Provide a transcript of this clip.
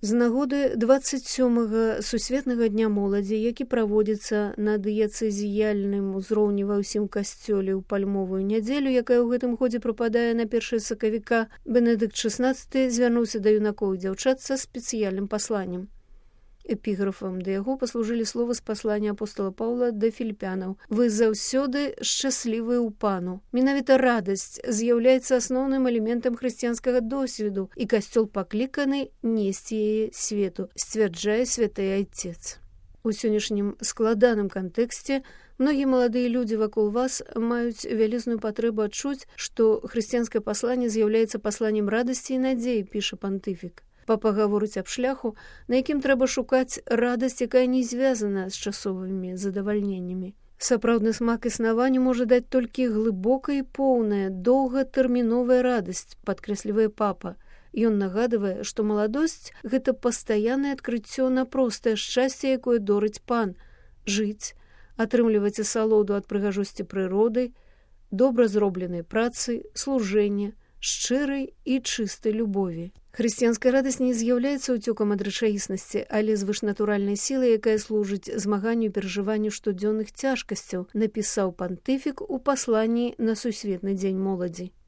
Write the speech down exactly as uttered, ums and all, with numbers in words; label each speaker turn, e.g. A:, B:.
A: З нагоды дваццаць сёмага сусветнага дня моладзі, які праводзіцца на дыяцэзіяльным узроўні ва ўсім касцёле ў пальмовую нядзелю, якая ў гэтым годзе прыпадае на першае сакавіка, Бенедыкт шаснаццаты звярнуўся да юнакоў і дзяўчат са спецыяльным пасланнем. Эпіграфам да яго паслужылі словы з паслання апостола Паўла да філіпянаў. «Вы заўсёды шчаслівыя ў пану». Менавіта радасць з'яўляецца асноўным элементам хрысціянскага досведу, і касцёл пакліканы несці яе свету, сцвярджае святы айцец. У сённяшнім складаным кантэксце многія маладыя людзі вакол вас маюць вялізную патрэбу адчуць, што хрысціянскае пасланне з'яўляецца пасланнем радасці і надзеі, піша пантыфік. Папа гаворыць аб шляху, на якім трэба шукаць радасць, якая не звязана з часовымі задавальненнямі. Сапраўдны смак існавання можа даць толькі глыбокая і поўная, доўгатэрміновая радасць, падкрэслівае папа. Ён нагадвае, што маладосць – гэта пастаяннае адкрыццё на простае шчасце, якое дорыць пан. Жыць, атрымліваць асалоду ад прыгажосці прыроды, добра зробленай працы, служэння, шчырай і чыстай любові. Хрысціянская радасць не з'яўляецца ўцёкам ад рэчаіснасці, але звышнатуральнай сілай, якая служыць змаганню і перажыванню штодзённых цяжкасцяў, напісаў пантыфік у пасланні на сусветны дзень моладзі.